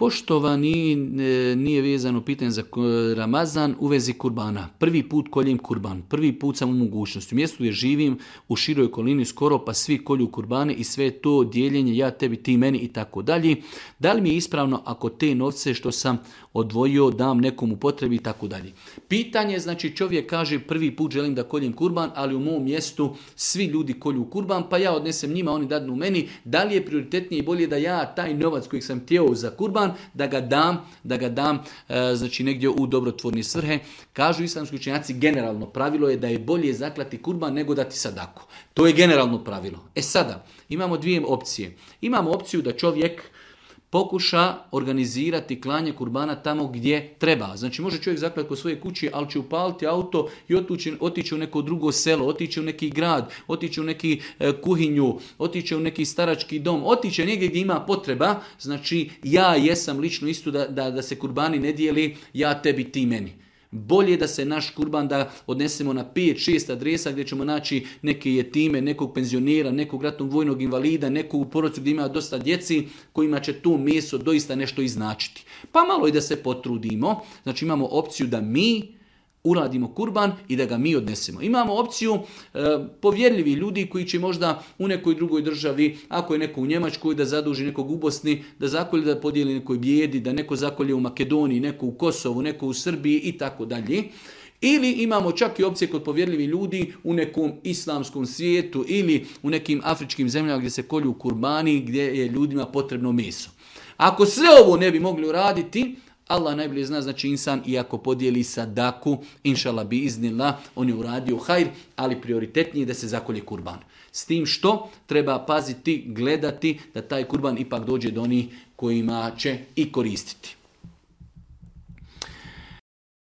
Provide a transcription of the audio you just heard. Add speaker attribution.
Speaker 1: Poštovani, nije vezano pitanje za Ramazan u vezi kurbana. Prvi put koljem kurban, prvi put sam u mogućnosti. U mjestu gdje živim u široj okolini skoro pa svi kolju kurbane i sve to dijeljenje ja tebi ti meni i tako dalje. Da li mi je ispravno ako te novce što sam odvojio dam nekom u potrebi i tako dalje. Pitanje, znači čovjek kaže prvi put želim da koljem kurban, ali u mom mjestu svi ljudi kolju kurban, pa ja odnesem njima, oni dadnu meni. Da li je prioritetnije i bolje da ja taj novac kojeg sam htio za kurban, da ga dam znači negdje u dobrotvorne svrhe. Kažu islamski učenjaci, generalno pravilo je da je bolje zaklati kurban nego dati sadaku. To je generalno pravilo. Sada, imamo dvije opcije. Imamo opciju da čovjek pokuša organizirati klanje kurbana tamo gdje treba. Znači može čovjek zaklati kod svoje kući, ali će upaliti auto i otići u neko drugo selo, otići u neki grad, otići u neki kuhinju, otići u neki starački dom, otići negdje gdje ima potreba. Znači ja jesam lično isto da se kurbani ne dijeli, ja tebi ti meni. Bolje da se naš kurban da odnesemo na 5-6 adresa gdje ćemo naći neke jetime, nekog penzionera, nekog ratnog vojnog invalida, nekog u porodicu gdje ima dosta djeci kojima će to meso doista nešto iznačiti. Pa malo i da se potrudimo. Znači imamo opciju da mi uradimo kurban i da ga mi odnesemo. Imamo opciju povjerljivi ljudi koji će možda u nekoj drugoj državi, ako je neko u Njemačkoj, da zaduži nekog u Bosni, da zakolje, da podijeli nekoj bijedi, da neko zakolje u Makedoniji, neko u Kosovu, neko u Srbiji i tako dalje. Ili imamo čak i opcije kod povjerljivi ljudi u nekom islamskom svijetu ili u nekim afričkim zemljama gdje se kolju kurbani, gdje je ljudima potrebno meso. Ako sve ovo ne bi mogli uraditi, Allah najbolje zna, znači insan iako podijeli sadaku, inšallah bi iznila, on je uradio hajr, ali prioritetnije je da se zakolje kurban. S tim što treba paziti, gledati da taj kurban ipak dođe do onih kojima će i koristiti.